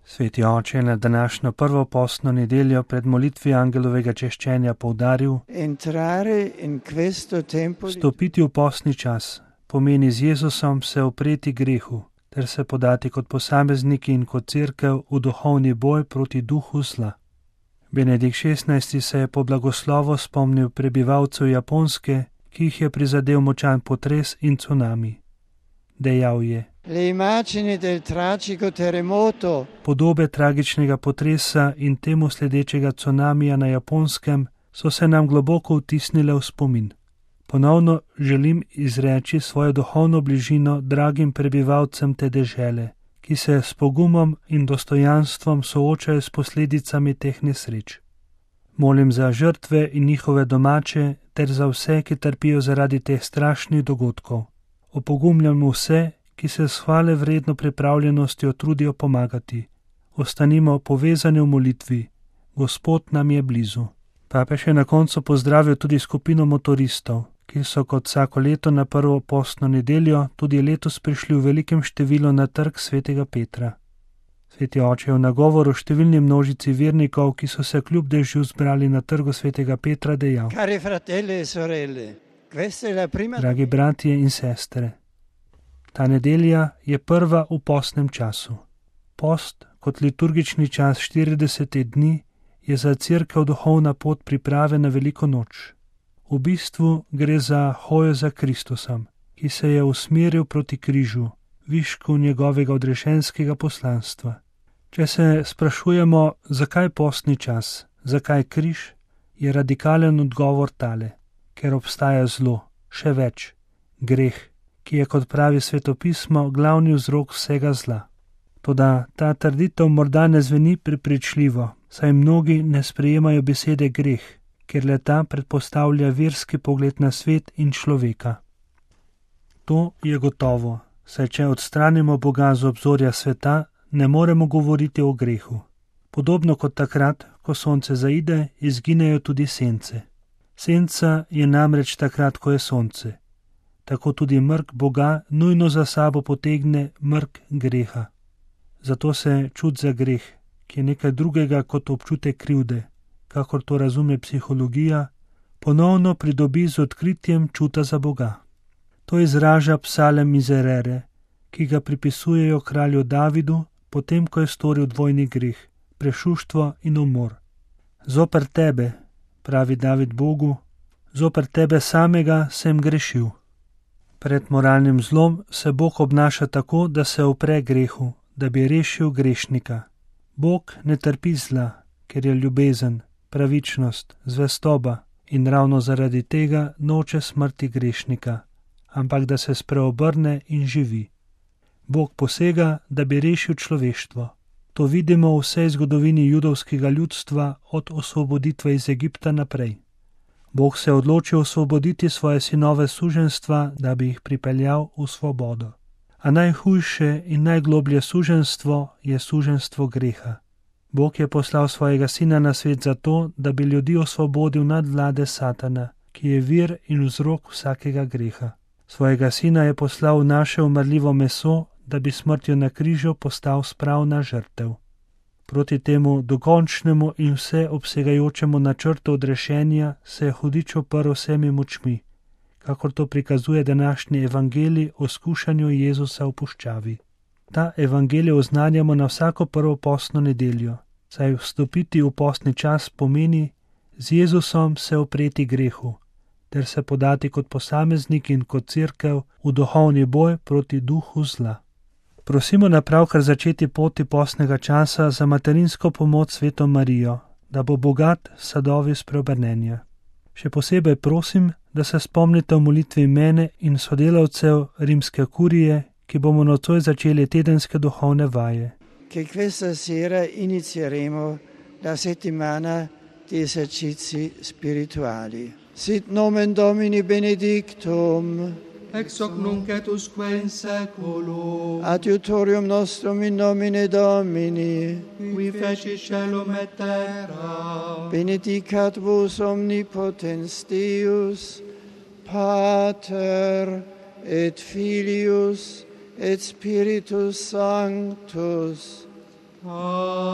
Sveti oče je na današnjo prvo postno nedeljo pred molitvijo angelovega češčenja poudaril: Vstopiti v postni čas pomeni z Jezusom se upreti grehu ter se podati kot posamezniki in kot cerkev v duhovni boj proti duhu zla. Benedikt XVI. Se je po blagoslovu spomnil prebivalcev Japonske, ki jih je prizadel močan potres in cunami. Dejal je: Podobe tragičnega potresa in temu sledečega cunamija na Japonskem so se nam globoko vtisnile v spomin. Ponovno želim izreči svojo duhovno bližino dragim prebivalcem te dežele, ki se s pogumom in dostojanstvom soočajo s posledicami teh nesreč. Molim za žrtve in njihove domače ter za vse, ki trpijo zaradi teh strašnih dogodkov. Opogumljam vse, ki se s hvale vredno pripravljenostjo trudijo pomagati. Ostanimo povezani v molitvi. Gospod nam je blizu. Papež je na koncu pozdravil tudi skupino motoristov, ki so kot vsako leto na prvo postno nedeljo tudi letos prišli v velikem številu na trg svetega Petra. Sveti oče je v nagovoru številni množici vernikov, ki so se kljub dežju zbrali na trgu svetega Petra, dejal: Dragi bratje in sestre, ta nedelja je prva v postnem času. Post kot liturgični čas 40 dni je za cerkev duhovna pot priprave na veliko noč. V bistvu gre za hojo za Kristusom, ki se je usmeril proti križu, višku njegovega odrešenskega poslanstva. Če se sprašujemo, zakaj postni čas, zakaj križ, je radikalen odgovor tale: ker obstaja zlo, še več, greh, ki je, kot pravi svetopismo, glavni vzrok vsega zla. Toda ta trditev morda ne zveni prepričljivo, saj mnogi ne sprejemajo besede greh, ker le-ta predpostavlja verski pogled na svet in človeka. To je gotovo, saj če odstranimo Boga z obzorja sveta, ne moremo govoriti o grehu. Podobno kot takrat, ko sonce zaide, izginejo tudi sence. Senca je namreč takrat, ko je sonce. Tako tudi mrk Boga nujno za sabo potegne mrk greha. Zato se čut za greh, ki je nekaj drugega kot občutek krivde, kakor to razume psihologija, ponovno pridobi z odkritjem čuta za Boga. To izraža psalem Mizerere, ki ga pripisujejo kralju Davidu, potem ko je storil dvojni greh, prešuštvo in umor. Zoper tebe, pravi David Bogu, zoper tebe samega sem grešil. Pred moralnim zlom se Bog obnaša tako, da se upre grehu, da bi rešil grešnika. Bog ne trpi zla, ker je ljubezen, pravičnost, zvestoba in ravno zaradi tega noče smrti grešnika, ampak da se spreobrne in živi. Bog posega, da bi rešil človeštvo. To vidimo v vsej zgodovini judovskega ljudstva od osvoboditve iz Egipta naprej. Bog se je odločil osvoboditi svoje sinove suženjstva, da bi jih pripeljal v svobodo. A najhujše in najgloblje suženjstvo je suženjstvo greha. Bog je poslal svojega sina na svet zato, da bi ljudi osvobodil nadvlade Satana, ki je vir in vzrok vsakega greha. Svojega sina je poslal v naše umrljivo meso, da bi smrtjo na križu postal spravna žrtev. Proti temu dokončnemu in vseobsegajočemu načrtu odrešenja se je hudič oprl vsemi močmi, kakor to prikazuje današnji evangelij o skušanju Jezusa v puščavi. Ta evangelij oznanjamo na vsako prvo postno nedeljo, saj vstopiti v postni čas pomeni z Jezusom se upreti grehu, ter se podati kot posameznik in kot cerkev v duhovni boj proti duhu zla. Prosimo na pravkar začeti poti postnega časa za materinsko pomoč Sveto Marijo, da bo bogat sadovi spreobrnenja. Še posebej prosim, da se spomnite v molitvi mene in sodelavcev rimske kurije, ki bomo nocoj začeli tedenske duhovne vaje. Che questa sera inizieremo la settimana di esercizi spirituali. Sit nomen Domini benedictum, ex hoc nunc et usque in saeculum. Adiutorium nostrum in nomine Domini, Qui feci caelum et terra. benedicat vos omnipotens Deus, Pater et Filius et Spiritus Sanctus. Amen.